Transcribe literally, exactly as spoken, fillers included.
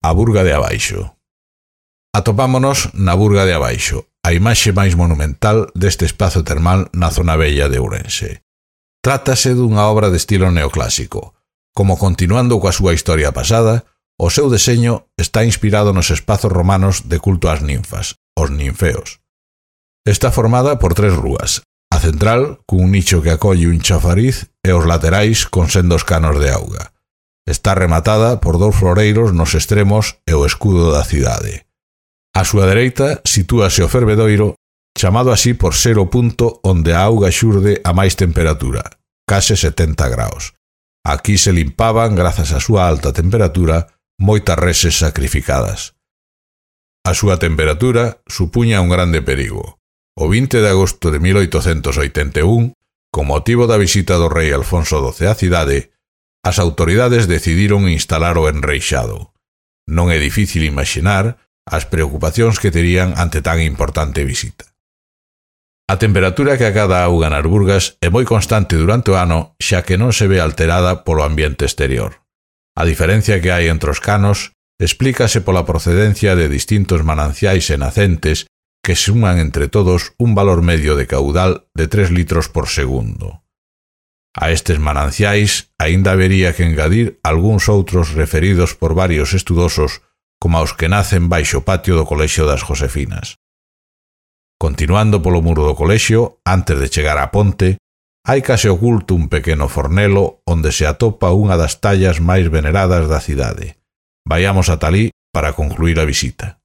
a Burga de Abaixo. Atopámonos na Burga de Abaixo, a imaxe máis monumental deste espazo termal na zona vella de Ourense. Trátase dunha obra de estilo neoclásico. Como continuando coa súa historia pasada, o seu deseño está inspirado nos espazos romanos de culto ás ninfas, os ninfeos. Está formada por tres rúas, a central, cun nicho que acolle un chafariz e os laterais con sendos canos de auga. Está rematada por dous floreiros nos extremos e o escudo da cidade. A súa dereita sitúase o fervedoiro, chamado así por ser o punto onde a auga xurde a máis temperatura, case setenta graus. Aquí se limpaban, grazas á súa alta temperatura, moitas reses sacrificadas. A súa temperatura supuña un grande perigo. O vinte de agosto de mil oitocentos oitenta e un, con motivo da visita do rei Alfonso doce á cidade, as autoridades decidiron instalar o enreixado. Non é difícil imaxinar as preocupacións que terían ante tan importante visita. A temperatura que acada a auga nas burgas é moi constante durante o ano, xa que non se ve alterada polo ambiente exterior. A diferencia que hai entre os canos explícase pola procedencia de distintos mananciais e nacentes que suman entre todos un valor medio de caudal de tres litros por segundo. A estes mananciais aínda habería que engadir algúns outros referidos por varios estudosos como aos que nacen baixo o patio do Colexio das Josefinas. Continuando polo muro do colexio, antes de chegar á ponte, hai case oculto un pequeno fornelo onde se atopa unha das tallas máis veneradas da cidade. Vaiamos ata alí para concluir a visita.